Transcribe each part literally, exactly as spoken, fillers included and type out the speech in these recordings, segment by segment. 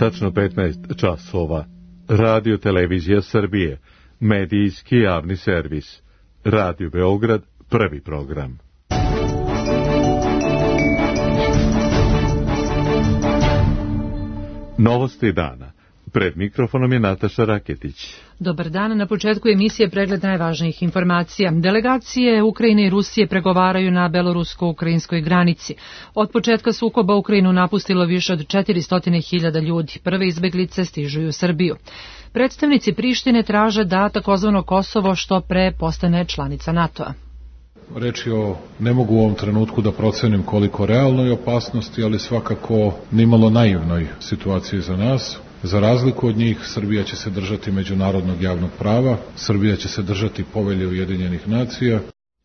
Tačno petnaest časova. Radio Televizija Srbije, medijski javni servis. Radio Beograd, prvi program. Novosti dana. Pred mikrofonom je Nataša Raketić. Dobar dan, na početku emisije pregled najvažnijih informacija. Delegacije Ukrajine i Rusije pregovaraju na belorusko-ukrajinskoj granici. Od početka sukoba Ukrajinu napustilo više od četiristo hiljada ljudi. Prve izbeglice stižu u Srbiju. Predstavnici Prištine traže da takozvano Kosovo što pre postane članica NATO-a. Reč je o, ne mogu u ovom trenutku da procenim koliko realnoj opasnosti, ali svakako nimalo naivnoj situaciji za nas. Za razliku od njih, Srbija će se držati međunarodnog javnog prava, Srbija će se držati Povelje Ujedinjenih nacija.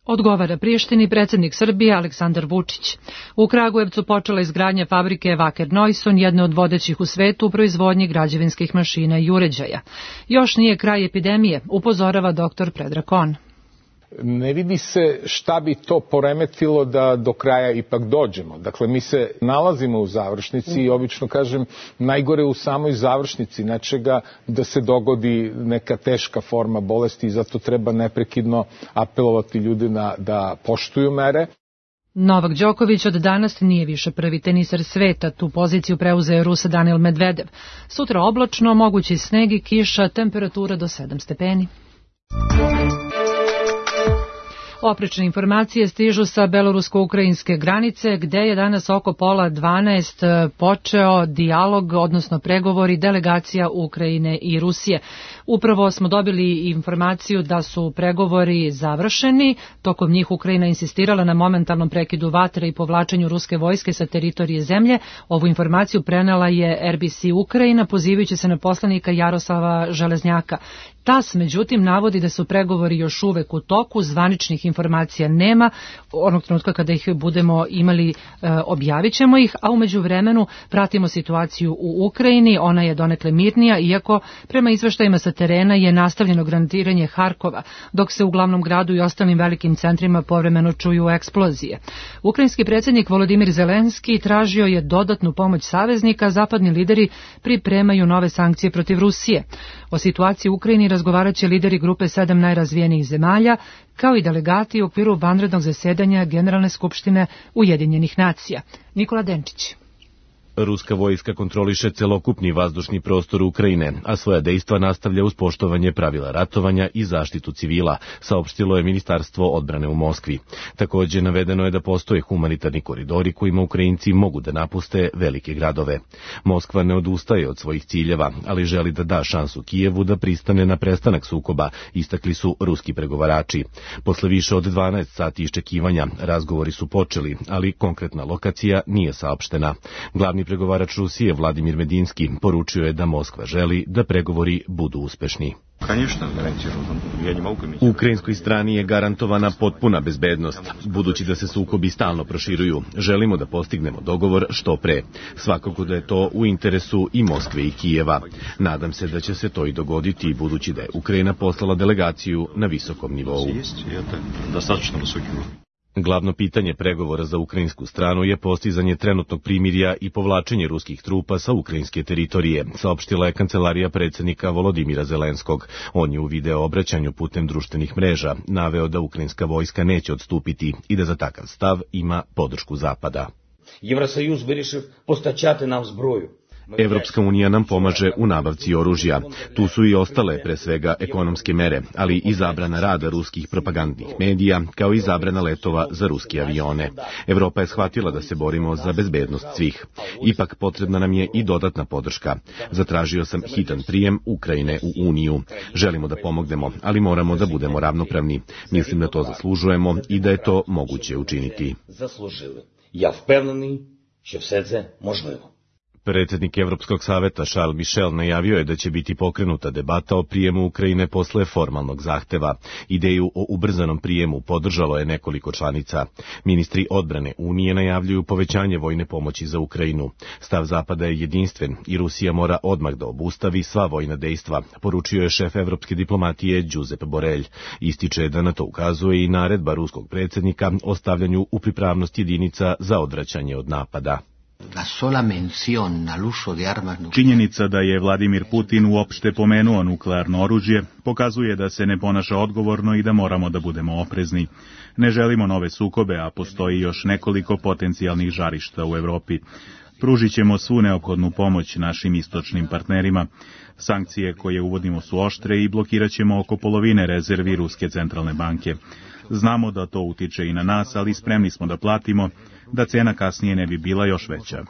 Odgovara Prištini predsjednik Srbije Aleksandar Vučić. U Kragujevcu počela izgradnja fabrike Wacker Neuson, jedne od vodećih u svetu u proizvodnji građevinskih mašina i uređaja. Još nije kraj epidemije, upozorava doktor Predrag Kon. Ne vidi se šta bi to poremetilo da do kraja ipak dođemo. Dakle, mi se nalazimo u završnici i obično kažem najgore u samoj završnici nečega da se dogodi neka teška forma bolesti i zato treba neprekidno apelovati ljude na, da poštuju mere. Novak Đoković od danas nije više prvi teniser sveta, tu poziciju preuzeo Rus Danil Medvedev. Sutra oblačno, mogući sneg i kiša, temperatura do sedam stepeni. Oprečne informacije stižu sa belorusko-ukrajinske granice, gde je danas oko pola dvanaest počeo dijalog, odnosno pregovori delegacija Ukrajine i Rusije. Upravo smo dobili informaciju da su pregovori završeni, tokom njih Ukrajina insistirala na momentalnom prekidu vatre i povlačenju ruske vojske sa teritorije zemlje. Ovu informaciju prenela je R B C Ukrajina, pozivajući se na poslanika Jaroslava Železnjaka. TAS, međutim, navodi da su pregovori još uvek u toku, zvaničnih informacija nema, onog trenutka kada ih budemo imali, e, objavit ćemo ih, a umeđu vremenu pratimo situaciju u Ukrajini, ona je donekle mirnija, iako prema izveštajima sa terena je nastavljeno granatiranje Harkova, dok se u glavnom gradu i ostalim velikim centrima povremeno čuju eksplozije. Ukrajinski predsjednik Volodimir Zelenski tražio je dodatnu pomoć saveznika, zapadni lideri pripremaju nove sankcije protiv Rusije. O situaciji u Ukrajini razgovarat će lideri grupe sedam najrazvijenijih zemalja, kao i delegati u okviru vanrednog zasedanja Generalne skupštine Ujedinjenih nacija. Nikola Denčić. Ruska vojska kontroliše celokupni vazdušni prostor Ukrajine, a svoja dejstva nastavlja uz poštovanje pravila ratovanja i zaštitu civila, saopštilo je Ministarstvo odbrane u Moskvi. Također navedeno je da postoje humanitarni koridori kojima Ukrajinci mogu da napuste velike gradove. Moskva ne odustaje od svojih ciljeva, ali želi da da šansu Kijevu da pristane na prestanak sukoba, istakli su ruski pregovarači. Posle više od dvanaest sati iščekivanja, razgovori su počeli, ali konkretna lokacija nije saopštena. Glavni pregovarač Rusije Vladimir Medinski poručio je da Moskva želi da pregovori budu uspešni. U ukrajinskoj strani je garantovana potpuna bezbednost, budući da se sukobi stalno proširuju. Želimo da postignemo dogovor što pre. Svakako da je to u interesu i Moskve i Kijeva. Nadam se da će se to i dogoditi, budući da je Ukrajina poslala delegaciju na visokom nivou. Glavno pitanje pregovora za ukrajinsku stranu je postizanje trenutnog primirja i povlačenje ruskih trupa sa ukrajinske teritorije, saopštila je kancelarija predsjednika Volodimira Zelenskog. On je u video obraćanju putem društvenih mreža naveo da ukrajinska vojska neće odstupiti i da za takav stav ima podršku Zapada. Євросоюз вирішив постачати нам зброю. Evropska unija nam pomaže u nabavci oružja. Tu su i ostale, pre svega, ekonomske mere, ali i zabrana rada ruskih propagandnih medija, kao i zabrana letova za ruske avione. Evropa je shvatila da se borimo za bezbednost svih. Ipak potrebna nam je i dodatna podrška. Zatražio sam hitan prijem Ukrajine u Uniju. Želimo da pomognemo, ali moramo da budemo ravnopravni. Mislim da to zaslužujemo i da je to moguće učiniti. Ja впевнений, що все це можливо. Predsjednik Evropskog saveta Charles Michel najavio je da će biti pokrenuta debata o prijemu Ukrajine posle formalnog zahteva. Ideju o ubrzanom prijemu podržalo je nekoliko članica. Ministri odbrane Unije najavljuju povećanje vojne pomoći za Ukrajinu. Stav Zapada je jedinstven i Rusija mora odmah da obustavi sva vojna dejstva, poručio je šef evropske diplomatije Josep Borrell. Ističe da na to ukazuje i naredba ruskog predsjednika o stavljanju u pripravnost jedinica za odvraćanje od napada. Činjenica da je Vladimir Putin uopšte pomenuo nuklearno oružje pokazuje da se ne ponaša odgovorno i da moramo da budemo oprezni. Ne želimo nove sukobe, a postoji još nekoliko potencijalnih žarišta u Evropi. Pružit ćemo svu neophodnu pomoć našim istočnim partnerima. Sankcije koje uvodimo su oštre i blokirat ćemo oko polovine rezervi Ruske centralne banke. Znamo da to utiče i na nas, ali spremni smo da platimo, da cena kasnije ne bi bila još veća.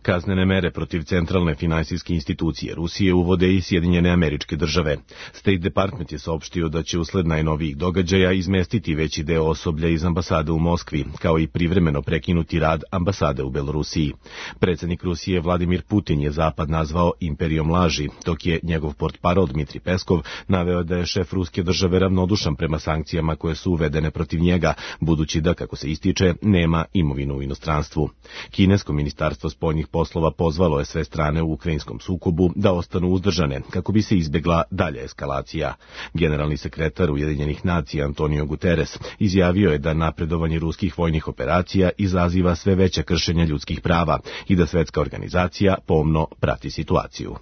Kaznene mere protiv centralne finansijske institucije Rusije uvode i Sjedinjene Američke Države. State Department je saopštio da će usled najnovijih događaja izmestiti veći deo osoblja iz ambasade u Moskvi, kao i privremeno prekinuti rad ambasade u Belorusiji. Predsjednik Rusije Vladimir Putin je Zapad nazvao imperijom laži, dok je njegov portparol Dmitri Peskov naveo da je šef ruske države ravnodušan prema sankcijama koje su uvedene protiv njega, budući da, kako se ističe, nema imovinu u inostranstvu. Kinesko ministarstvo spoljnih poslova pozvalo je sve strane u ukrajinskom sukobu da ostanu uzdržane kako bi se izbjegla dalja eskalacija. Generalni sekretar Ujedinjenih nacija Antonio Guterres izjavio je da napredovanje ruskih vojnih operacija izaziva sve veća kršenja ljudskih prava i da svetska organizacija pomno prati situaciju.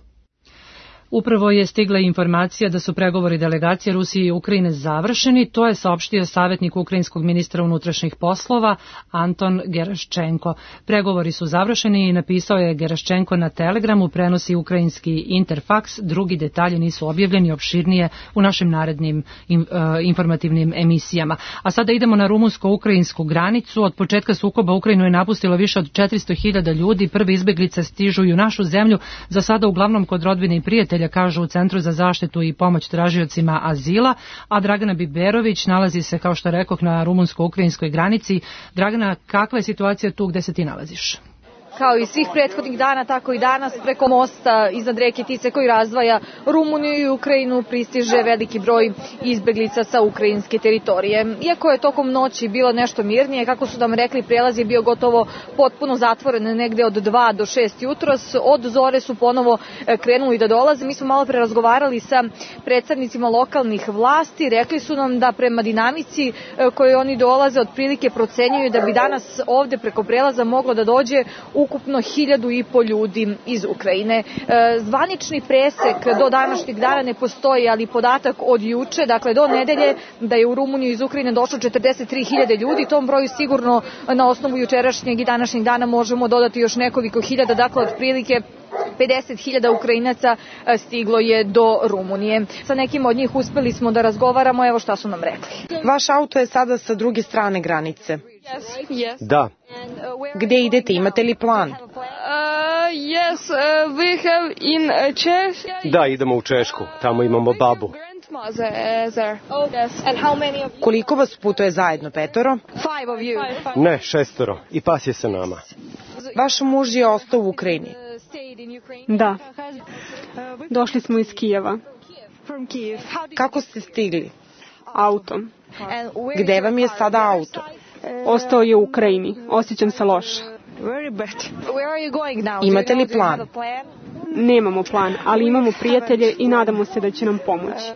Upravo je stigla informacija da su pregovori delegacije Rusije i Ukrajine završeni, to je saopštio savjetnik ukrajinskog ministra unutrašnjih poslova Anton Geraščenko. Pregovori su završeni i napisao je Geraščenko na Telegramu, prenosi ukrajinski Interfax, drugi detalji nisu objavljeni opširnije u našim narednim informativnim emisijama. A sada idemo na rumunsko-ukrajinsku granicu. Od početka sukoba Ukrajinu je napustilo više od četiristo hiljada ljudi, prve izbeglice stižu i u našu zemlju, za sada uglavnom kod rodbine i prijatelja, kažu u Centru za zaštitu i pomoć tražiocima azila, a Dragana Biberović nalazi se, kao što rekoh, na rumunsko-ukrajinskoj granici. Dragana, kakva je situacija tu gde se ti nalaziš? Kao i svih prethodnih dana, tako i danas preko mosta iznad reke Tice koji razdvaja Rumuniju i Ukrajinu pristiže veliki broj izbeglica sa ukrajinske teritorije. Iako je tokom noći bilo nešto mirnije, kako su nam rekli, prelaz je bio gotovo potpuno zatvoren negde od dva do šest jutros. Od zore su ponovo krenuli da dolaze. Mi smo malo pre razgovarali sa predstavnicima lokalnih vlasti. Rekli su nam da prema dinamici koje oni dolaze otprilike procenjuju da bi danas ovde preko prelaza moglo da dođe ukupno hiljadu i po ljudi iz Ukrajine. Zvanični presek do današnjeg dana ne postoji, ali podatak od juče, dakle do nedelje, da je u Rumuniju iz Ukrajine došlo četrdeset tri hiljade ljudi. Tom broju sigurno na osnovu jučerašnjeg i današnjeg dana možemo dodati još nekoliko hiljada, dakle otprilike pedeset hiljada Ukrajinaca stiglo je do Rumunije. Sa nekim od njih uspeli smo da razgovaramo, evo šta su nam rekli. Vaš auto je sada sa druge strane granice. Da. Gde idete, imate li plan? Da, idemo u Češku, tamo imamo babu. Koliko vas putuje zajedno, petoro? Ne, šestoro. I pas je sa nama. Vaš muž je ostao u Ukrajini? Da. Došli smo iz Kijeva. Kako ste stigli? Autom. Gde vam je sada auto? Ostao je u Ukrajini. Osjećam se loše. Imate li plan? Nemamo plan, ali imamo prijatelje i nadamo se da će nam pomoći.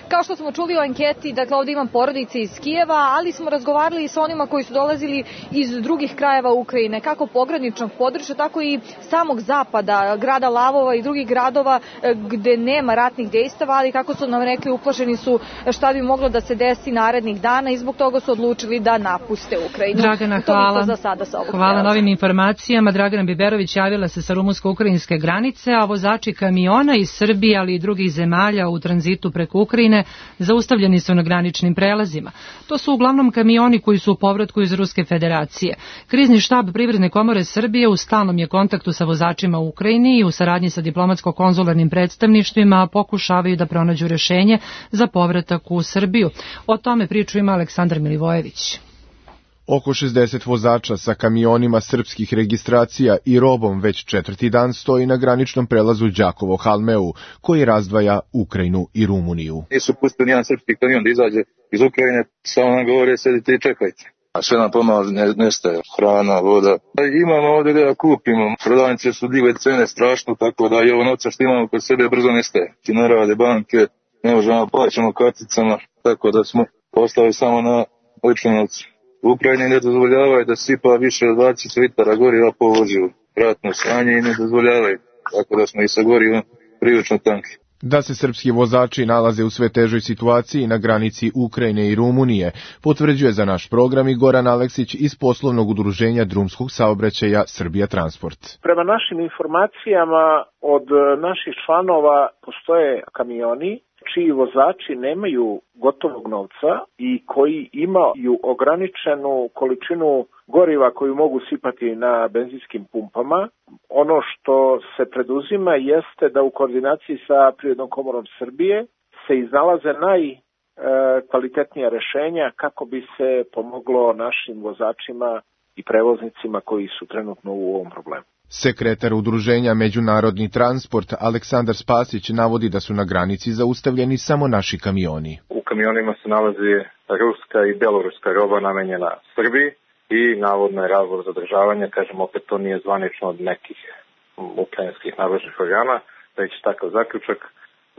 Kao što smo čuli u anketi, dakle ovdje imam porodice iz Kijeva, ali smo razgovarali i sa onima koji su dolazili iz drugih krajeva Ukrajine, kako pograničnog područja, tako i samog zapada, grada Lavova i drugih gradova gde nema ratnih dejstava, ali kako su nam rekli, uplašeni su šta bi moglo da se desi narednih dana i zbog toga su odlučili da napuste Ukrajinu. Dragana, hvala. Za sada sa ovog hvala na ovim informacijama. Dragana Biberović javila se sa rumunsko-ukrajinske granice, a vozači kamiona iz Srbije, ali i drugih zemalja u tranzitu preko Ukrajine zaustavljeni su na graničnim prelazima. To su uglavnom kamioni koji su u povratku iz Ruske federacije. Krizni štab Privredne komore Srbije u stalnom je kontaktu sa vozačima u Ukrajini i u saradnji sa diplomatsko-konzularnim predstavništvima pokušavaju da pronađu rešenje za povratak u Srbiju. O tome priču ima Aleksandar Milivojević. Oko šezdeset vozača sa kamionima srpskih registracija i robom već četvrti dan stoji na graničnom prelazu Đakovo-Halmeu, koji razdvaja Ukrajinu i Rumuniju. Nisu pustili nijedan srpski kamion da izađe iz Ukrajine, samo nam govore sedite i čekajte. A sve nam pomalo nestaje, hrana, voda. Imamo ovdje da kupimo, prodavnice su digle cene strašno, tako da i ovo novca što imamo kod sebe brzo nestaje. Ti ne rade banke, ne možemo plaćamo karticama, tako da smo ostali samo na ličnom novcu. U Ukrajini ne dozvoljavaju da sipa više od dvadeset litara goriva po vozilu. Ratno stanje i ne dozvoljavaju, tako da smo i sa gorivom prilično tanki. Da se srpski vozači nalaze u sve težoj situaciji na granici Ukrajine i Rumunije, potvrđuje za naš program i Goran Aleksić iz poslovnog udruženja drumskog saobraćaja Srbija Transport. Prema našim informacijama od naših članova postoje kamioni čiji vozači nemaju gotovog novca i koji imaju ograničenu količinu goriva koju mogu sipati na benzinskim pumpama. Ono što se preduzima jeste da u koordinaciji sa Privrednom komorom Srbije se iznalaze najkvalitetnija rešenja kako bi se pomoglo našim vozačima i prevoznicima koji su trenutno u ovom problemu. Sekretar udruženja Međunarodni transport Aleksandar Spasić navodi da su na granici zaustavljeni samo naši kamioni. U kamionima se nalazi ruska i beloruska roba namenjena Srbiji i navodno je razlog zadržavanja, kažem opet to nije zvanično od nekih ukrajinskih nadležnih organa, već takav zaključak.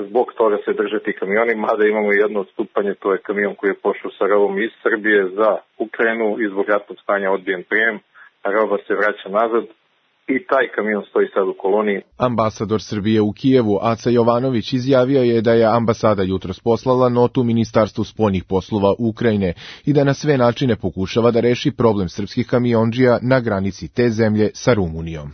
Zbog toga se drže ti kamioni, mada imamo jedno odstupanje, to je kamion koji je pošao sa robom iz Srbije za Ukrajinu i zbog ratnog stanja odbijen prijem, a roba se vraća nazad. I taj kamion stoji sad u koloniji. Ambasador Srbije u Kijevu, Aca Jovanović, izjavio je da je ambasada jutros poslala notu Ministarstvu spoljnih poslova Ukrajine i da na sve načine pokušava da reši problem srpskih kamiondžija na granici te zemlje sa Rumunijom.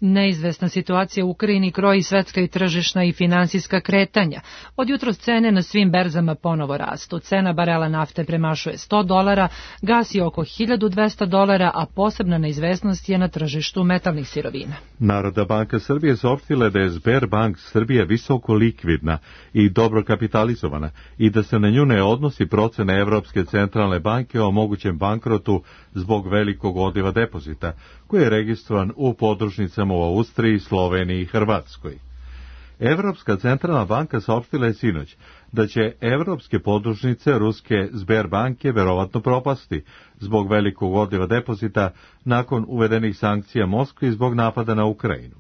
Neizvesna situacija u Ukrajini kroji svetska i tržišna i finansijska kretanja. Od jutros cene na svim berzama ponovo rastu. Cena barela nafte premašuje sto dolara, gas je oko hiljadu dvesta dolara, a posebna neizvesnost je na tržištu metalnih sirovina. Narodna banka Srbije saopštila da je Sberbank Srbije visoko likvidna i dobro kapitalizovana i da se na nju ne odnosi procena Evropske centralne banke o mogućem bankrotu zbog velikog odliva depozita, koji je registrovan u podružnicama u Austriji, Sloveniji i Hrvatskoj. Evropska centralna banka saopštila je sinoć da će evropske podružnice ruske Sberbanke verovatno propasti zbog velikog odliva depozita nakon uvedenih sankcija Moskvi zbog napada na Ukrajinu.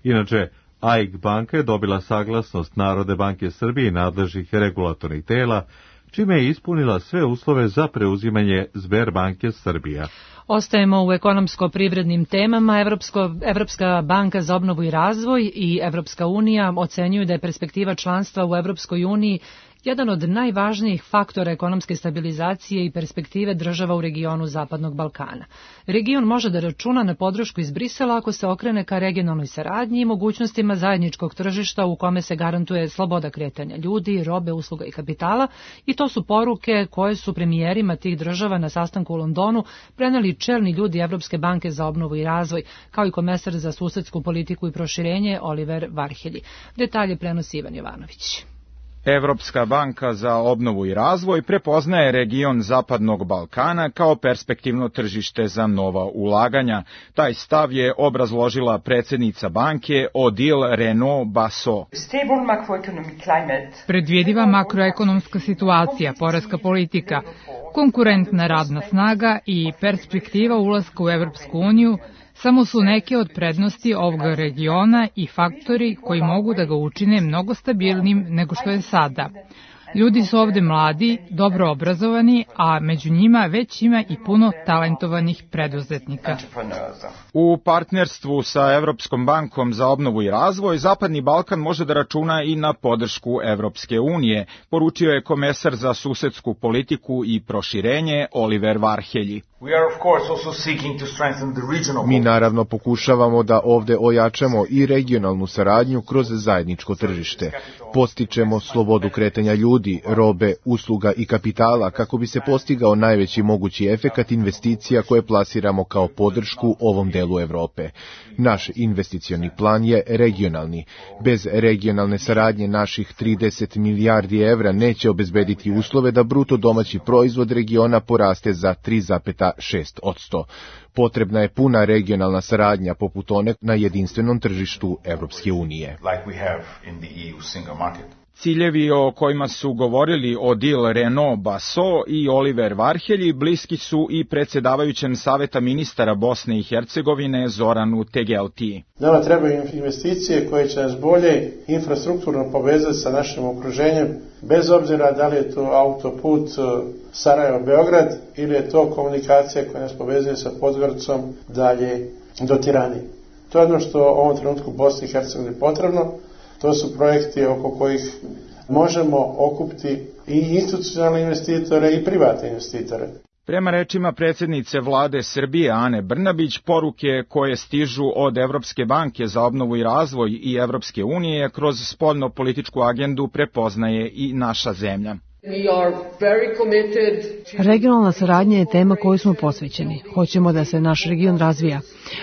Inače, A I K banka je dobila saglasnost Narodne banke Srbije i nadležnih regulatornih tela, čime je ispunila sve uslove za preuzimanje Sberbanke Srbija. Ostajemo u ekonomsko-privrednim temama. Evropsko, Evropska banka za obnovu i razvoj i Evropska unija ocenjuju da je perspektiva članstva u Evropskoj uniji jedan od najvažnijih faktora ekonomske stabilizacije i perspektive država u regionu Zapadnog Balkana. Region može da računa na podršku iz Brisela ako se okrene ka regionalnoj saradnji i mogućnostima zajedničkog tržišta u kome se garantuje sloboda kretanja ljudi, robe, usluga i kapitala, i to su poruke koje su premijerima tih država na sastanku u Londonu preneli čelni ljudi Evropske banke za obnovu i razvoj, kao i komesar za susedsku politiku i proširenje Oliver Varhelji. Detalje prenosi Ivan Jovanović. Evropska banka za obnovu i razvoj prepoznaje region Zapadnog Balkana kao perspektivno tržište za nova ulaganja. Taj stav je obrazložila predsjednica banke Odile Renaud-Basso. Predvidiva makroekonomska situacija, poreska politika, konkurentna radna snaga i perspektiva ulaska u Evropsku uniju samo su neke od prednosti ovog regiona i faktori koji mogu da ga učine mnogo stabilnim nego što je sada. Ljudi su ovde mladi, dobro obrazovani, a među njima već ima i puno talentovanih preduzetnika. U partnerstvu sa Evropskom bankom za obnovu i razvoj, Zapadni Balkan može da računa i na podršku Evropske unije, poručio je komesar za susedsku politiku i proširenje Oliver Varhelji. Mi naravno pokušavamo da ovde ojačamo i regionalnu saradnju kroz zajedničko tržište. Postičemo slobodu kretanja ljudi, robe, usluga i kapitala kako bi se postigao najveći mogući efekat investicija koje plasiramo kao podršku ovom delu Evrope. Naš investicioni plan je regionalni. Bez regionalne saradnje naših trideset milijardi evra neće obezbediti uslove da bruto domaći proizvod regiona poraste za tri zarez šest posto. Potrebna je puna regionalna saradnja poput one na jedinstvenom tržištu Evropske unije. Ciljevi o kojima su govorili Odile Renaud-Basso i Oliver Varhelji bliski su i predsjedavajućem Saveta ministara Bosne i Hercegovine Zoranu Tegeltiji. Nama trebaju investicije koje će nas bolje infrastrukturno povezati sa našim okruženjem, bez obzira da li je to autoput Sarajevo-Beograd ili je to komunikacija koja nas povezuje sa Podgoricom dalje do Tirane. To je ono što u ovom trenutku Bosni i Hercegovini potrebno. To su projekti oko kojih možemo okupiti i institucionalne investitore i privatne investitore. Prema rečima predsjednice vlade Srbije Ane Brnabić, poruke koje stižu od Evropske banke za obnovu i razvoj i Evropske unije kroz spoljno-političku agendu prepoznaje i naša zemlja. Regionalna saradnja je tema kojoj smo posvećeni. Hoćemo da se naš region razvija.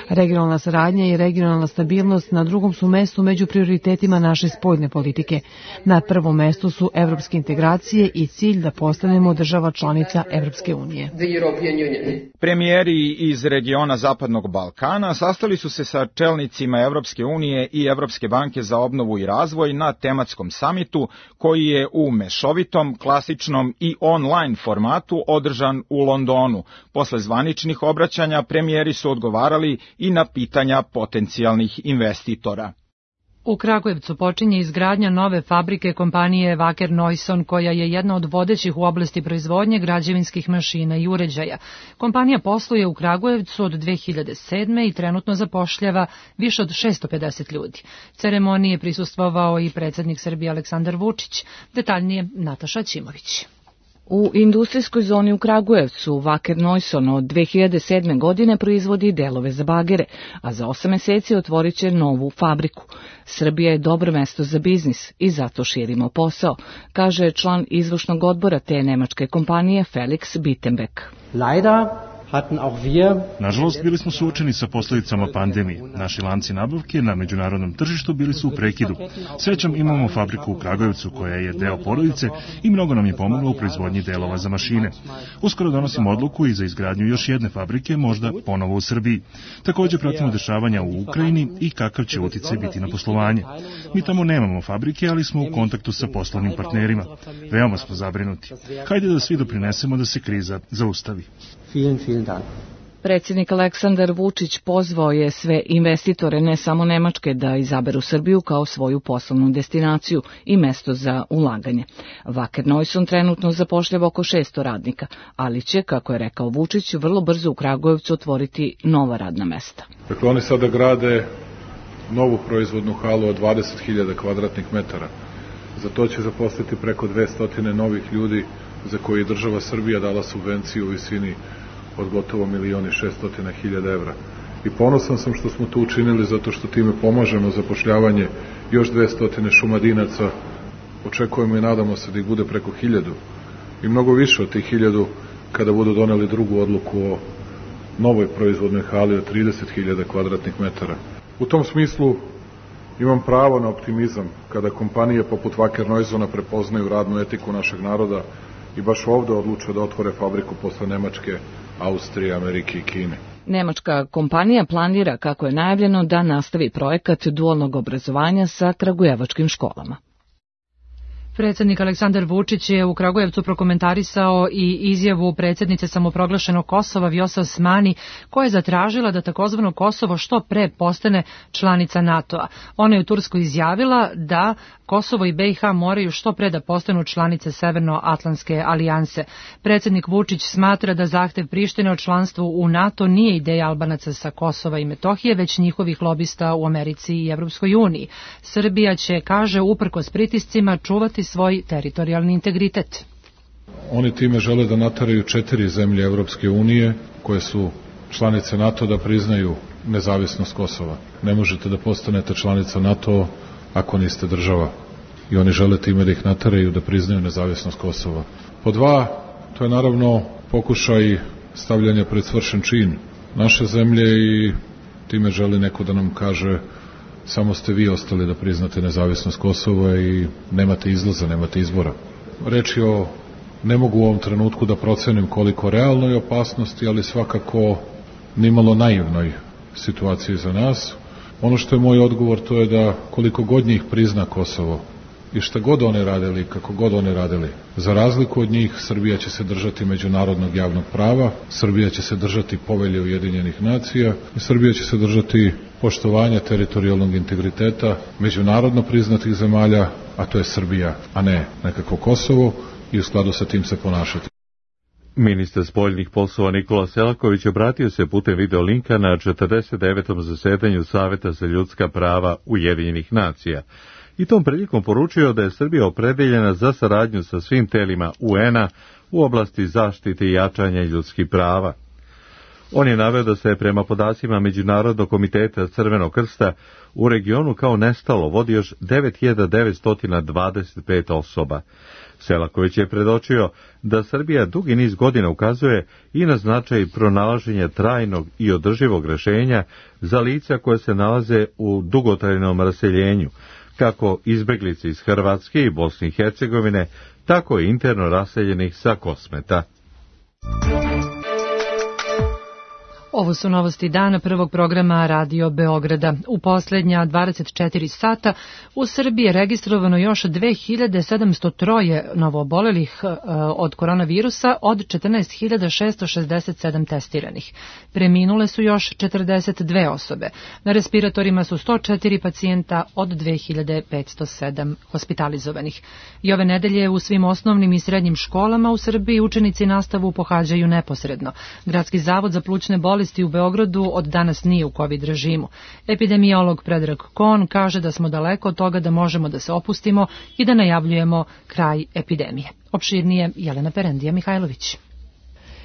Regionalna saradnja i regionalna stabilnost na drugom su mestu među prioritetima naše spoljne politike. Na prvom mestu su evropske integracije i cilj da postanemo država članica Evropske unije. Premijeri iz regiona Zapadnog Balkana sastali su se sa čelnicima Evropske unije i Evropske banke za obnovu i razvoj na tematskom samitu koji je u mešovitom, klasičnom i online formatu održan u Londonu. Posle zvaničnih obraćanja premijeri su odgovarali i na pitanja potencijalnih investitora. U Kragujevcu počinje izgradnja nove fabrike kompanije Wacker Neuson, koja je jedna od vodećih u oblasti proizvodnje građevinskih mašina i uređaja. Kompanija posluje u Kragujevcu od dve hiljade sedme. i trenutno zapošljava više od šesto pedeset ljudi. Ceremoniji je prisustvovao i predsjednik Srbije Aleksandar Vučić. Detaljnije Nataša Ćimović. U industrijskoj zoni u Kragujevcu Wacker Neuson od dve hiljade sedme. godine proizvodi delove za bagere, a za osam meseci otvorit će novu fabriku. Srbija je dobro mesto za biznis i zato širimo posao, kaže član izvršnog odbora te nemačke kompanije Felix Bittenbeck. Nažalost, bili smo suočeni sa posljedicama pandemije. Naši lanci nabavke na međunarodnom tržištu bili su u prekidu. Srećom imamo fabriku u Kragujevcu koja je deo porodice i mnogo nam je pomogla u proizvodnji delova za mašine. Uskoro donosimo odluku i za izgradnju još jedne fabrike, možda ponovo u Srbiji. Također pratimo dešavanja u Ukrajini i kakav će uticaj biti na poslovanje. Mi tamo nemamo fabrike, ali smo u kontaktu sa poslovnim partnerima. Veoma smo zabrinuti. Hajde da svi doprinesemo da se kriza zaustavi. Vielen, vielen Dank. Predsjednik Aleksandar Vučić pozvao je sve investitore, ne samo Nemačke, da izaberu Srbiju kao svoju poslovnu destinaciju i mesto za ulaganje. Wacker Neuson trenutno zapošljava oko šesto radnika, ali će, kako je rekao Vučić, vrlo brzo u Kragujevcu otvoriti nova radna mesta. Dakle, oni sada grade novu proizvodnu halu od dvadeset hiljada kvadratnih metara. Za to će zaposliti preko dvesta novih ljudi, za koje je država Srbija dala subvenciju u visini od gotovo milion i šesto hiljada evra. I ponosan sam što smo to učinili, zato što time pomažemo zapošljavanje još dvesta Šumadinaca. Očekujemo i nadamo se da ih bude preko hiljadu i mnogo više od tih hiljadu kada budu doneli drugu odluku o novoj proizvodnoj hali od trideset hiljada kvadratnih metara. U tom smislu imam pravo na optimizam kada kompanije poput Wacker Neusona prepoznaju radnu etiku našeg naroda i baš ovde odluče da otvore fabriku posle Nemačke, Austrije, Amerike i Kine. Nemačka kompanija planira, kako je najavljeno, da nastavi projekat dualnog obrazovanja sa kragujevačkim školama. Predsjednik Aleksandar Vučić je u Kragujevcu prokomentarisao i izjavu predsjednice samoproglašenog Kosova Vjosa Osmani, koja je zatražila da takozvano Kosovo što pre postane članica NATO-a. Ona je u Turskoj izjavila da Kosovo i be i ha moraju što pre da postanu članice Severnoatlantske alijanse. Predsjednik Vučić smatra da zahtev Prištine o članstvu u NATO nije ideja Albanaca sa Kosova i Metohije, već njihovih lobista u Americi i Evropskoj uniji. Srbija će, kaže, uprkos pritiscima čuvati svoj teritorijalni integritet. Oni time žele da nateraju četiri zemlje Evropske unije koje su članice NATO da priznaju nezavisnost Kosova. Ne možete da postanete članica NATO ako niste država. I oni žele time da ih nateraju da priznaju nezavisnost Kosova. Po dva, to je naravno pokušaj stavljanja pred svršen čin naše zemlje i time želi neko da nam kaže samo ste vi ostali da priznate nezavisnost Kosova i nemate izlaza, nemate izbora. Reč je o, ne mogu u ovom trenutku da procenim koliko realnoj opasnosti, ali svakako nimalo naivnoj situaciji za nas. Ono što je moj odgovor to je da koliko god njih prizna Kosovo, I šta god one radili, kako god one radili, za razliku od njih, Srbija će se držati međunarodnog javnog prava, Srbija će se držati Povelje Ujedinjenih nacija i Srbija će se držati poštovanja teritorijalnog integriteta međunarodno priznatih zemalja, a to je Srbija, a ne nekako Kosovo, i u skladu sa tim se ponašati. Ministar spoljnih poslova Nikola Selaković obratio se putem video linka na četrdeset devetom zasedanju Saveta za ljudska prava Ujedinjenih nacija i tom prilikom poručio da je Srbija opredeljena za saradnju sa svim telima U N-a u oblasti zaštite i jačanja ljudskih prava. On je naveo da se prema podacima Međunarodnog komiteta Crvenog krsta u regionu kao nestalo vodi još devet hiljada devetsto dvadeset pet osoba. Selaković je predočio da Srbija dugi niz godina ukazuje i na značaj pronalaženja trajnog i održivog rešenja za lica koje se nalaze u dugotrajnom raseljenju, kako izbeglice iz Hrvatske i Bosne i Hercegovine, tako i interno raseljenih sa Kosmeta. Ovo su novosti dana prvog programa Radio Beograda. U posljednja dvadeset četiri sata u Srbiji je registrovano još dve hiljade sedamsto tri novoobolelih od koronavirusa od četrnaest hiljada šesto šezdeset sedam testiranih. Preminule su još četrdeset dve osobe. Na respiratorima su sto četiri pacijenta od dve hiljade petsto sedam hospitalizovanih. I ove nedelje u svim osnovnim i srednjim školama u Srbiji učenici nastavu pohađaju neposredno. Gradski zavod za plućne bolesti u Beogradu od danas nije u COVID režimu. Epidemiolog Predrag Kon kaže da smo daleko od toga da možemo da se opustimo i da najavljujemo kraj epidemije. Opširnije Jelena Perendija Mihajlović.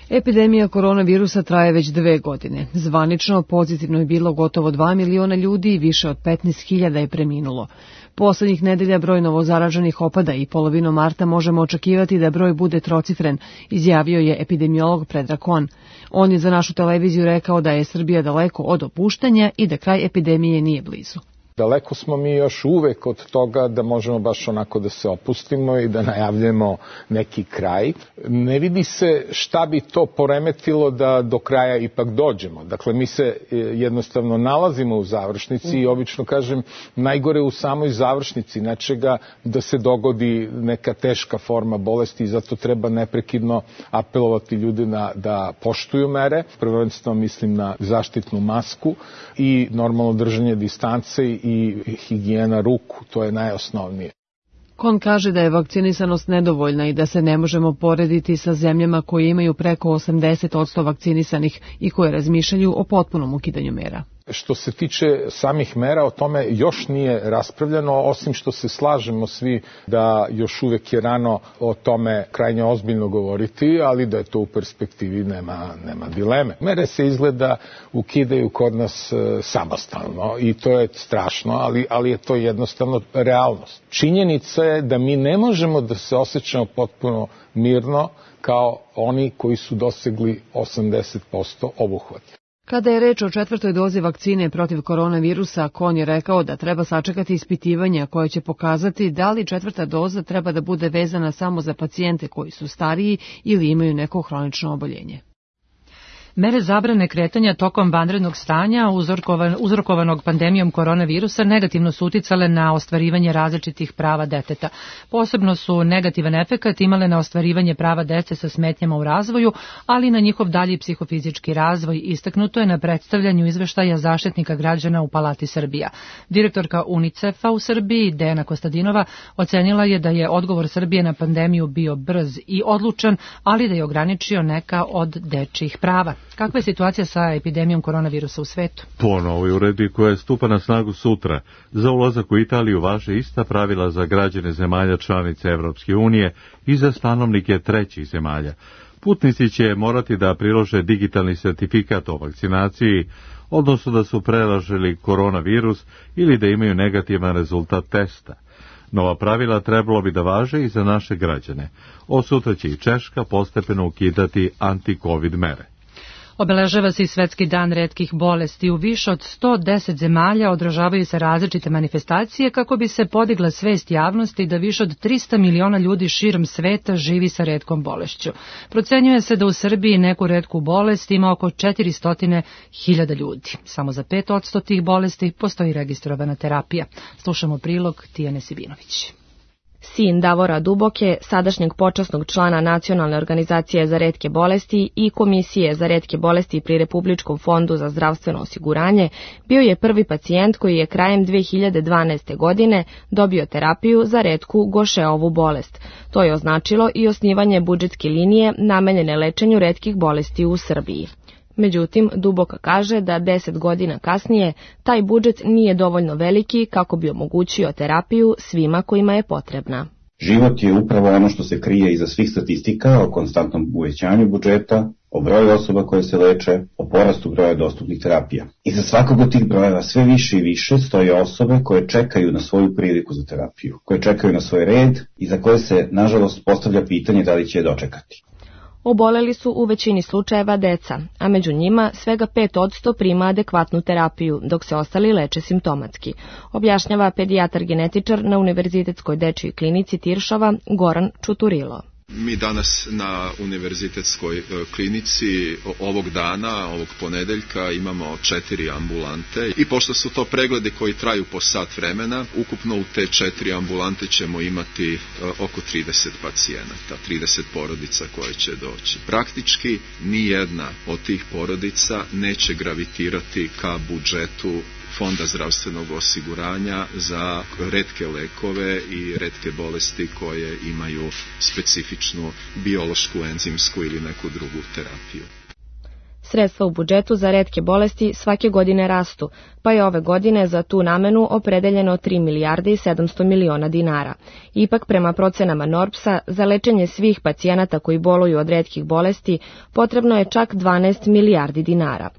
Epidemija koronavirusa traje već dve godine. Zvanično pozitivno je bilo gotovo dva miliona ljudi i više od petnaest hiljada je preminulo. Poslednjih nedelja broj novozaraženih opada i polovinom marta možemo očekivati da broj bude trocifren, izjavio je epidemiolog Predrag Kon. On je za našu televiziju rekao da je Srbija daleko od opuštanja i da kraj epidemije nije blizu. Daleko smo mi još uvek od toga da možemo baš onako da se opustimo i da najavljamo neki kraj. Ne vidi se šta bi to poremetilo da do kraja ipak dođemo. Dakle, mi se jednostavno nalazimo u završnici i obično kažem najgore u samoj završnici nečega da se dogodi neka teška forma bolesti i zato treba neprekidno apelovati ljude na, da poštuju mere. Prvenstveno mislim na zaštitnu masku i normalno držanje distance i higijena ruku, to je najosnovnije. Kon kaže da je vakcinisanost nedovoljna i da se ne možemo porediti sa zemljama koje imaju preko osamdeset posto vakcinisanih i koje razmišljaju o potpunom ukidanju mera. Što se tiče samih mera, o tome još nije raspravljeno, osim što se slažemo svi da još uvek je rano o tome krajnje ozbiljno govoriti, ali da je to u perspektivi nema, nema dileme. Mere se izgleda ukidaju kod nas e, samostalno i to je strašno, ali, ali je to jednostavno realnost. Činjenica je da mi ne možemo da se osjećamo potpuno mirno kao oni koji su dosegli osamdeset posto obuhvata. Kada je reč o četvrtoj dozi vakcine protiv koronavirusa, Kon je rekao da treba sačekati ispitivanja koje će pokazati da li četvrta doza treba da bude vezana samo za pacijente koji su stariji ili imaju neko hronično oboljenje. Mere zabrane kretanja tokom vanrednog stanja uzrokovan, uzrokovanog pandemijom koronavirusa negativno su uticale na ostvarivanje različitih prava deteta. Posebno su negativan efekat imale na ostvarivanje prava dece sa smetnjama u razvoju, ali i na njihov dalji psihofizički razvoj, istaknuto je na predstavljanju izveštaja Zaštitnika građana u Palati Srbija. Direktorka UNICEF-a u Srbiji, Dejana Kostadinova, ocenila je da je odgovor Srbije na pandemiju bio brz i odlučan, ali da je ograničio neka od dečjih prava. Kakva je situacija sa epidemijom koronavirusa u svetu? Po novoj uredbi koja stupa na snagu sutra, za ulazak u Italiju važe ista pravila za građane zemalja članice Evropske unije i za stanovnike trećih zemalja. Putnici će morati da prilože digitalni sertifikat o vakcinaciji, odnosno da su prelažili koronavirus ili da imaju negativan rezultat testa. Nova pravila trebalo bi da važe i za naše građane. Od sutra će i Češka postepeno ukidati anti-covid mere. Obeležava se i Svetski dan retkih bolesti. U više od sto deset zemalja održavaju se različite manifestacije kako bi se podigla svest javnosti da više od trista miliona ljudi širom sveta živi sa retkom bolešću. Procenjuje se da u Srbiji neku retku bolest ima oko četiristo hiljada ljudi. Samo za pet posto tih bolesti postoji registrovana terapija. Slušamo prilog Tijane Sibinović. sin Davora Duboke, sadašnjeg počasnog člana Nacionalne organizacije za retke bolesti i Komisije za retke bolesti pri Republičkom fondu za zdravstveno osiguranje, bio je prvi pacijent koji je krajem dve hiljade dvanaeste. godine dobio terapiju za retku Gošeovu bolest. To je označilo i osnivanje budžetske linije namenjene lečenju retkih bolesti u Srbiji. Međutim, Duboka kaže da deset godina kasnije taj budžet nije dovoljno veliki kako bi omogućio terapiju svima kojima je potrebna. Život je upravo ono što se krije iza svih statistika o konstantnom uvećanju budžeta, o broju osoba koje se leče, o porastu broja dostupnih terapija. Iza svakog od tih brojeva sve više i više stoje osobe koje čekaju na svoju priliku za terapiju, koje čekaju na svoj red i za koje se, nažalost, postavlja pitanje da li će je dočekati. Oboleli su u većini slučajeva deca, a među njima svega pet posto prima adekvatnu terapiju, dok se ostali leče simptomatski, objašnjava pedijatar genetičar na Univerzitetskoj dečijoj klinici Tiršova Goran Čuturilo. Mi danas na univerzitetskoj klinici ovog dana, ovog ponedeljka, imamo četiri ambulante i pošto su to pregledi koji traju po sat vremena, ukupno u te četiri ambulante ćemo imati oko trideset pacijenata, trideset porodica koje će doći. Praktički nijedna od tih porodica neće gravitirati ka budžetu Fonda zdravstvenog osiguranja za retke lekove i retke bolesti koje imaju specifičnu biološku, enzimsku ili neku drugu terapiju. Sredstva u budžetu za retke bolesti svake godine rastu, pa je ove godine za tu namenu opredeljeno tri milijarde i sedamsto miliona dinara. Ipak, prema procenama NORBS-a, za lečenje svih pacijenata koji boluju od retkih bolesti potrebno je čak dvanaest milijardi dinara.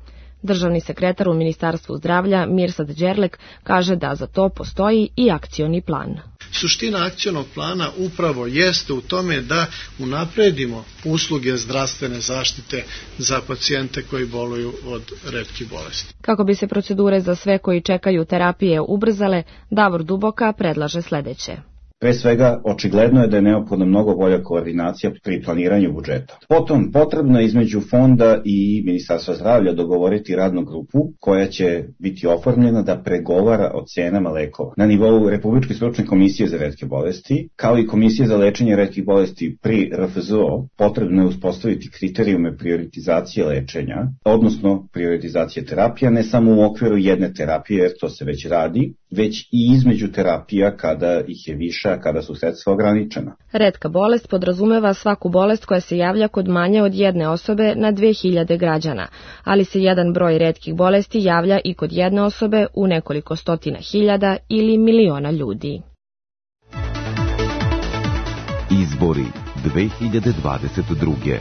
Državni sekretar u Ministarstvu zdravlja Mirsad Đerlek kaže da za to postoji i akcioni plan. Suština akcionog plana upravo jeste u tome da unapredimo usluge zdravstvene zaštite za pacijente koji boluju od retkih bolesti. Kako bi se procedure za sve koji čekaju terapije ubrzale, Davor Duboka predlaže sledeće. Pre svega, očigledno je da je neophodna mnogo bolja koordinacija pri planiranju budžeta. Potom, potrebno je između fonda i Ministarstva zdravlja dogovoriti radnu grupu koja će biti oformljena da pregovara o cenama lekova. Na nivou Republičke stručne komisije za retke bolesti, kao i Komisije za lečenje retkih bolesti pri R F Z O, potrebno je uspostaviti kriterijume prioritizacije lečenja, odnosno prioritizacije terapija, ne samo u okviru jedne terapije, jer to se već radi, već i između terapija kada ih je više, a kada su sredstva ograničena. Retka bolest podrazumeva svaku bolest koja se javlja kod manje od jedne osobe na dve hiljade građana, ali se jedan broj retkih bolesti javlja i kod jedne osobe u nekoliko stotina hiljada ili miliona ljudi. Izbori dve hiljade dvadeset druge.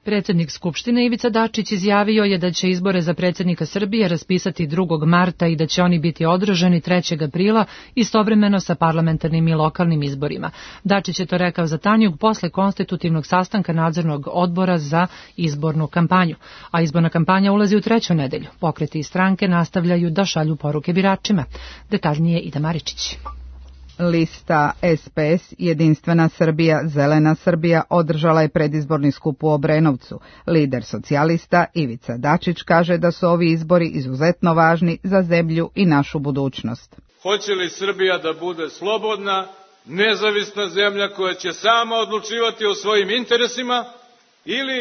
Predsjednik Skupštine Ivica Dačić izjavio je da će izbore za predsjednika Srbije raspisati drugog marta i da će oni biti održani trećeg aprila istovremeno sa parlamentarnim i lokalnim izborima. Dačić je to rekao za Tanjug posle konstitutivnog sastanka nadzornog odbora za izbornu kampanju. A izborna kampanja ulazi u treću nedelju. Pokreti i stranke nastavljaju da šalju poruke biračima. Detaljnije Ida Maričić. Lista S P S Jedinstvena Srbija, Zelena Srbija održala je predizborni skup u Obrenovcu. Lider socijalista Ivica Dačić kaže da su ovi izbori izuzetno važni za zemlju i našu budućnost. Hoće li Srbija da bude slobodna, nezavisna zemlja koja će sama odlučivati o svojim interesima ili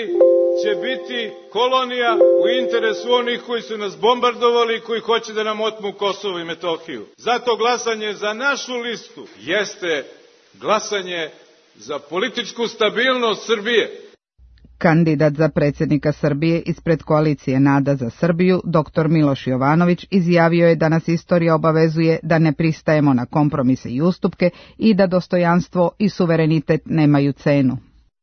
će biti kolonija u interesu onih koji su nas bombardovali i koji hoće da nam otmu Kosovo i Metohiju. Zato glasanje za našu listu jeste glasanje za političku stabilnost Srbije. Kandidat za predsjednika Srbije ispred koalicije Nada za Srbiju, doktor Miloš Jovanović, izjavio je da nas istorija obavezuje da ne pristajemo na kompromise i ustupke i da dostojanstvo i suverenitet nemaju cenu.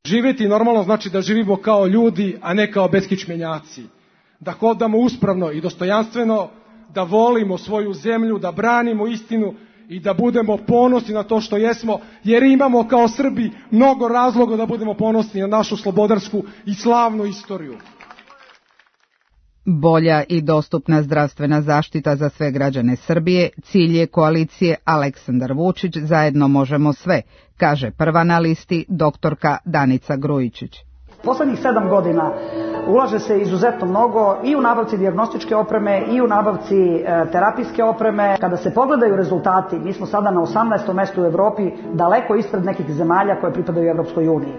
Živjeti normalno znači da živimo kao ljudi, a ne kao beskičmenjaci. Da hodamo uspravno i dostojanstveno, da volimo svoju zemlju, da branimo istinu i da budemo ponosni na to što jesmo, jer imamo kao Srbi mnogo razloga da budemo ponosni na našu slobodarsku i slavnu istoriju. Bolja i dostupna zdravstvena zaštita za sve građane Srbije cilj je koalicije Aleksandar Vučić zajedno možemo sve, kaže prva na listi doktorka Danica Grujičić. Poslednjih sedam godina ulaže se izuzetno mnogo i u nabavci dijagnostičke opreme i u nabavci e, terapijske opreme. Kada se pogledaju rezultati, mi smo sada na osamnaestom mestu u Evropi, daleko ispred nekih zemalja koje pripadaju Evropskoj uniji.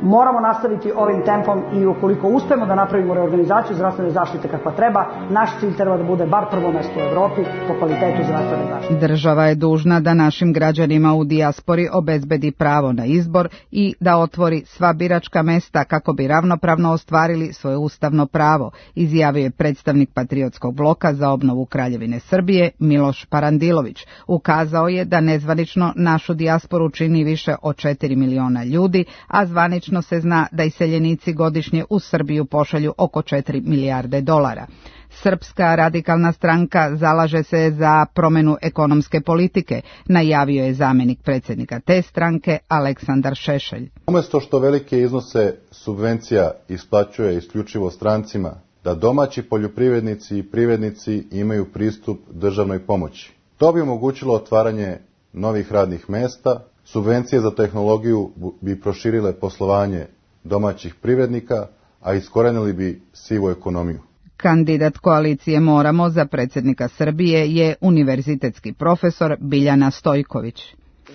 Moramo nastaviti ovim tempom i ukoliko uspemo da napravimo reorganizaciju zdravstvene zaštite kakva treba, naš cilj treba da bude bar prvo mesto u Evropi po kvalitetu zdravstvene zaštite. Država je dužna da našim građanima u dijaspori obezbedi pravo na izbor i da otvori sva biračka mesta kako bi ravnopravno ostvarili svoje ustavno pravo, izjavio je predstavnik Patriotskog bloka za obnovu Kraljevine Srbije Miloš Parandilović. Ukazao je da nezvanično našu dijasporu čini više od četiri miliona ljudi, a zvanično se zna da iseljenici godišnje u Srbiju pošalju oko četiri milijarde dolara. Srpska radikalna stranka zalaže se za promenu ekonomske politike, najavio je zamjenik predsjednika te stranke Aleksandar Šešelj. Umjesto što velike iznose subvencija isplaćuje isključivo strancima, da domaći poljoprivrednici i privrednici imaju pristup državnoj pomoći. To bi omogućilo otvaranje novih radnih mesta, subvencije za tehnologiju bi proširile poslovanje domaćih privrednika, a iskorenili bi sivu ekonomiju. Kandidat koalicije Moramo za predsjednika Srbije je univerzitetski profesor Biljana Stojković.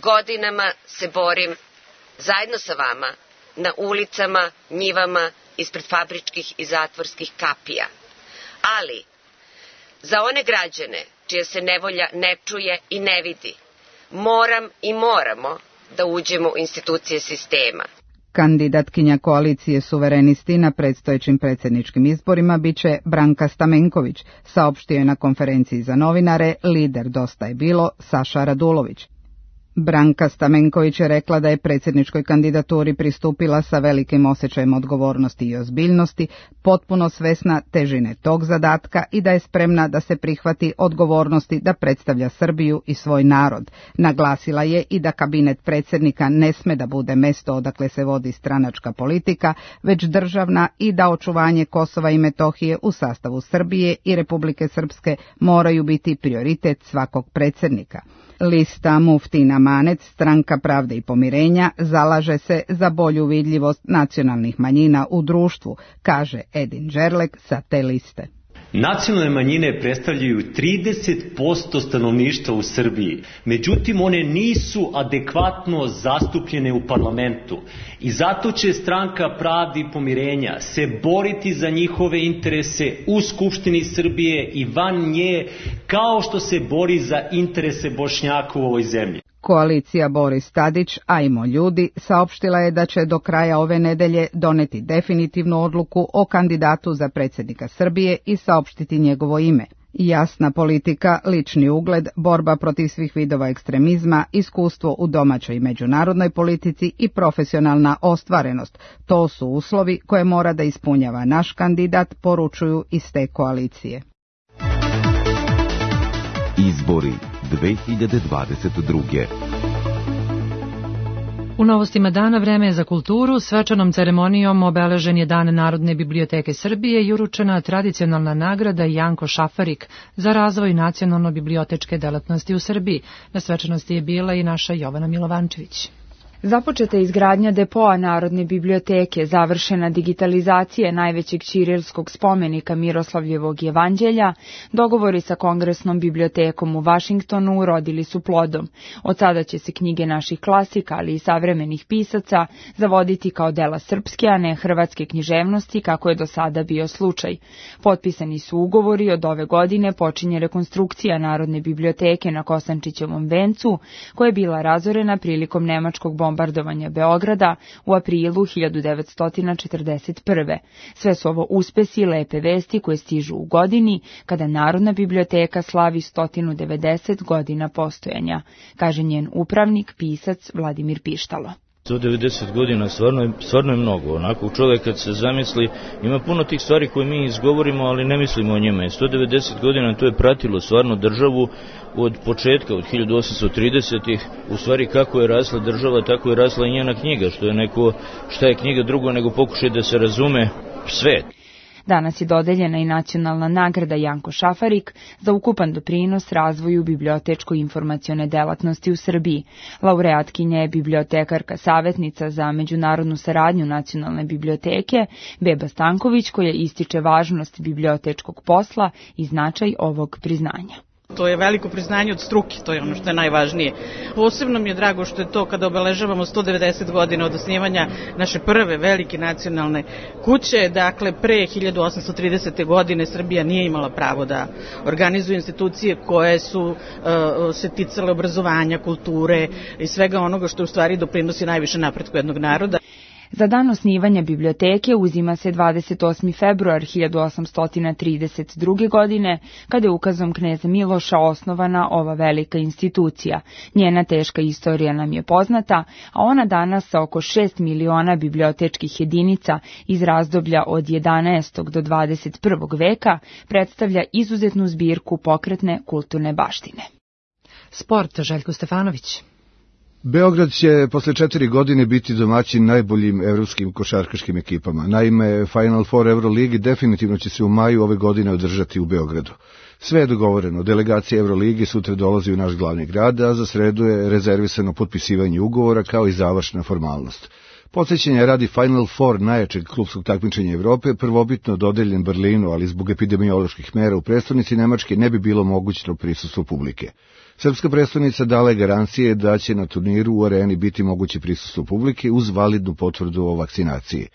Godinama se borim zajedno sa vama na ulicama, njivama, ispred fabričkih i zatvorskih kapija. Ali, za one građane čija se nevolja ne čuje i ne vidi, moram i moramo da uđemo u institucije sistema. Kandidatkinja koalicije Suverenisti na predstojećim predsjedničkim izborima biće Branka Stamenković, saopštio je na konferenciji za novinare lider Dosta je bilo Saša Radulović. Branka Stamenković je rekla da je predsjedničkoj kandidaturi pristupila sa velikim osjećajem odgovornosti i ozbiljnosti, potpuno svesna težine tog zadatka i da je spremna da se prihvati odgovornosti da predstavlja Srbiju i svoj narod. Naglasila je i da kabinet predsjednika ne sme da bude mesto odakle se vodi stranačka politika, već državna i da očuvanje Kosova i Metohije u sastavu Srbije i Republike Srpske moraju biti prioritet svakog predsjednika. Lista Muftina Manec, Stranka pravde i pomirenja, zalaže se za bolju vidljivost nacionalnih manjina u društvu, kaže Edin Đerlek sa te liste. Nacionalne manjine predstavljaju trideset posto stanovništva u Srbiji, međutim one nisu adekvatno zastupljene u parlamentu i zato će Stranka pravde i pomirenja se boriti za njihove interese u Skupštini Srbije i van nje, kao što se bori za interese Bošnjaka u ovoj zemlji. Koalicija Boris Tadić, ajmo ljudi, saopštila je da će do kraja ove nedelje doneti definitivnu odluku o kandidatu za predsjednika Srbije i saopštiti njegovo ime. Jasna politika, lični ugled, borba protiv svih vidova ekstremizma, iskustvo u domaćoj i međunarodnoj politici i profesionalna ostvarenost. To su uslovi koje mora da ispunjava naš kandidat, poručuju iz te koalicije. Izbori dve hiljade dvadeset druge. U novostima dana vreme je za kulturu. Svečanom ceremonijom obeležen je Dan Narodne biblioteke Srbije i uručena tradicionalna nagrada Janko Šafarik za razvoj nacionalno-bibliotečke delatnosti u Srbiji. Na svečanosti je bila i naša Jovana Milovančević. Započeta je izgradnja depoa Narodne biblioteke, završena digitalizacija najvećeg ćirilskog spomenika Miroslavljevog jevanđelja, dogovori sa Kongresnom bibliotekom u Vašingtonu urodili su plodom. Od sada će se knjige naših klasika, ali i savremenih pisaca, zavoditi kao dela srpske, a ne hrvatske književnosti, kako je do sada bio slučaj. Potpisani su ugovori, od ove godine počinje rekonstrukcija Narodne biblioteke na Kosančićevom vencu, koja je bila razorena prilikom nemačkog bombardovanja Beograda u aprilu hiljadu devetsto četrdeset prve. Sve su ovo uspesi i lepe vesti koje stižu u godini kada Narodna biblioteka slavi sto devedeset godina postojanja, kaže njen upravnik, pisac Vladimir Pištalo. sto devedeset godina stvarno je, stvarno je mnogo. Onako čovjek kad se zamisli, ima puno tih stvari koje mi izgovorimo, ali ne mislimo o njima. sto devedeset godina to je pratilo stvarno državu od početka, od hiljadu osamsto tridesetih. U stvari kako je rasla država, tako je rasla i njena knjiga, što je neko, šta je knjiga drugo nego pokušaj da se razume svet. Danas je dodeljena i nacionalna nagrada Janko Šafarik za ukupan doprinos razvoju bibliotečko-informacione delatnosti u Srbiji. Laureatkinja je bibliotekarka savjetnica za međunarodnu saradnju Nacionalne biblioteke Beba Stanković, koja ističe važnost bibliotečkog posla i značaj ovog priznanja. To je veliko priznanje od struke, to je ono što je najvažnije. Posebno mi je drago što je to kada obeležavamo sto devedeset godina od osnivanja naše prve velike nacionalne kuće. Dakle, pre hiljadu osamsto tridesete. godine Srbija nije imala pravo da organizuje institucije koje su uh, se ticale obrazovanja, kulture i svega onoga što u stvari doprinosi najviše napretku jednog naroda. Za dan osnivanja biblioteke uzima se dvadeset osmi februar hiljadu osamsto trideset druge. godine, kada je ukazom kneza Miloša osnovana ova velika institucija. Njena teška istorija nam je poznata, a ona danas sa oko šest miliona bibliotečkih jedinica iz razdoblja od jedanaestog do dvadeset prvog. veka predstavlja izuzetnu zbirku pokretne kulturne baštine. Sport, Željko Stefanović. Beograd će posle četiri godine biti domaćin najboljim evropskim košarkaškim ekipama. Naime, Final Four Euroligi definitivno će se u maju ove godine održati u Beogradu. Sve je dogovoreno. Delegacija Euroligi sutra dolazi u naš glavni grad, a za sredu je rezervisano potpisivanje ugovora kao i završna formalnost. Podsjećanja radi Final Four najjačeg klubskog takmičenja Evrope, prvobitno dodeljen Berlinu, ali zbog epidemioloških mera u prestonici Nemačke ne bi bilo mogućno prisustvo publike. Srpska predstavnica dala je garancije da će na turniru u areni biti moguće prisustvo publike uz validnu potvrdu o vakcinaciji.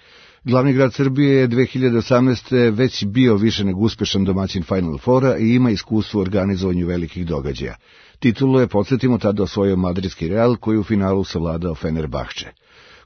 Glavni grad Srbije je dve hiljade osamnaeste. već bio više nego uspešan domaćin Final Fora i ima iskustvo u organizovanju velikih događaja. Titulu je, podsjetimo, tada osvojio madridski Real, koji u finalu savladao Fenerbahče.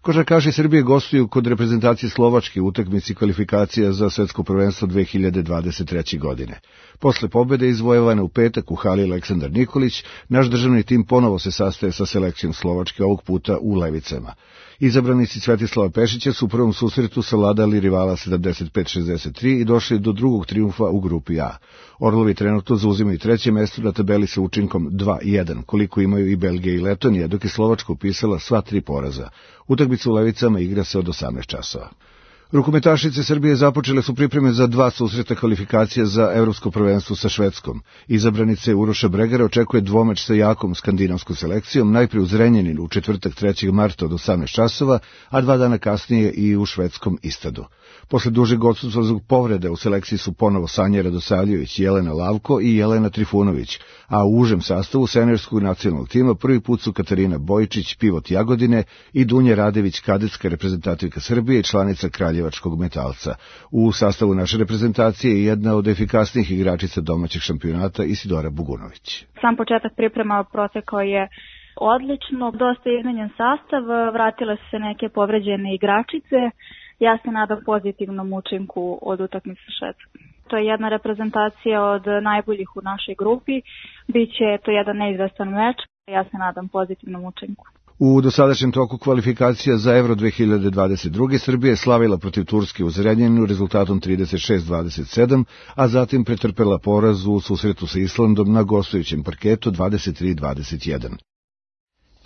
Košarkaši Srbije gostuju kod reprezentacije Slovačke u utakmici kvalifikacija za svetsko prvenstvo dve hiljade dvadeset treće. godine. Posle pobede izvojevane u petak u hali Aleksandar Nikolić, naš državni tim ponovo se sastaje sa selekcijom Slovačke, ovog puta u Levicama. Izabranici Svetislava Pešića su u prvom susretu savladali rivala sedamdeset pet šezdeset tri i došli do drugog trijumfa u grupi A. Orlovi trenutno zauzimaju treće mesto na tabeli sa učinkom dva jedan, koliko imaju i Belgija i Letonija, dok je Slovačka upisala sva tri poraza. Utakmica u Levicama igra se od osamnaest časova. Rukometašice Srbije započele su pripreme za dva susreta kvalifikacija za evropsko prvenstvo sa Švedskom. Izabranice Uroša Bregara očekuje dvomeč sa jakom skandinavskom selekcijom, najprije u Zrenjaninu u četvrtak trećeg marta od osamnaest časova, a dva dana kasnije i u švedskom Istadu. Posle dužeg odsustva zbog povrede u selekciji su ponovo Sanja Radosavljević, Jelena Lavko i Jelena Trifunović, a u užem sastavu seniorskog nacionalnog tima prvi put su Katarina Bojičić, pivot Jagodine, i Dunja Radević, kadetska reprezentativka Srbije i članica Kraljevačkog Metalca. U sastavu naše reprezentacije je jedna od efikasnijih igračica domaćeg šampionata Isidora Bugunović. Sam početak priprema protekao je odlično, dosta izmenjen sastav, vratile su se neke povređene igračice. Ja se nadam pozitivnom učinku od utakmice sa Švedskom. To je jedna reprezentacija od najboljih u našoj grupi. Biće to jedan neizvestan meč. Ja se nadam pozitivnom učinku. U dosadašnjem toku kvalifikacija za Euro dve hiljade dvadeset druge. Srbija je slavila protiv Turske u Zrenjaninu rezultatom trideset šest dvadeset sedam, a zatim pretrpela poraz u susretu sa Islandom na gostujućem parketu dvadeset tri dvadeset jedan.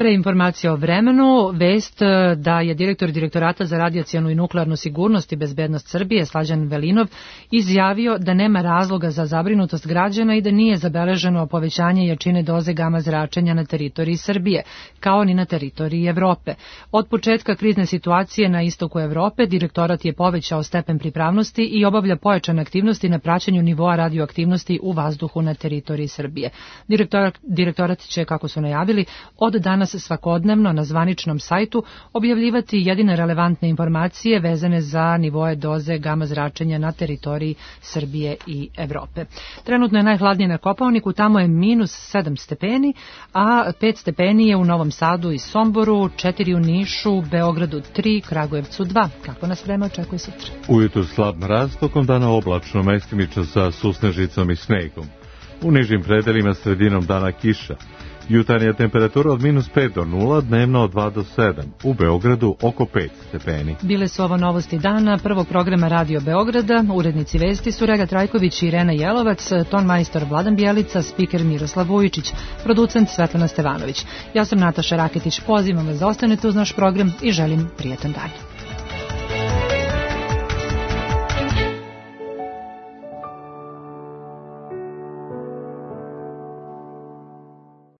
Pre informacija o vremenu, vest da je direktor Direktorata za radijacionu i nuklearnu sigurnost i bezbednost Srbije, Slađan Velinov, izjavio da nema razloga za zabrinutost građana i da nije zabeleženo povećanje jačine doze gama zračenja na teritoriji Srbije, kao ni na teritoriji Evrope. Od početka krizne situacije na istoku Evrope, direktorat je povećao stepen pripravnosti i obavlja pojačane aktivnosti na praćenju nivoa radioaktivnosti u vazduhu na teritoriji Srbije. Direktorat, direktorat će, kako su najavili, od danas svakodnevno na zvaničnom sajtu objavljivati jedine relevantne informacije vezane za nivoe doze gama zračenja na teritoriji Srbije i Evrope. Trenutno je najhladnije na Kopaoniku, tamo je minus sedam stepeni, a pet stepeni je u Novom Sadu i Somboru, četiri u Nišu, Beogradu tri, Kragujevcu dva. Kako nas vreme očekuje sutra? Ujutru slab mraz, tokom dana oblačno, mestimično sa susnežicom i snegom. U nižim predelima sredinom dana kiša. Jutarnja temperatura od minus pet do nula, dnevno od dva do sedam. U Beogradu oko pet stepeni. Bile su ovo novosti dana prvog programa Radio Beograda. Urednici vesti su Rega Trajković i Irena Jelovac, ton majstor Vladan Bjelica, spiker Miroslav Vujičić, producent Svetlana Stevanović. Ja sam Nataša Raketić, pozivam vas da ostanete uz naš program i želim prijetan dan.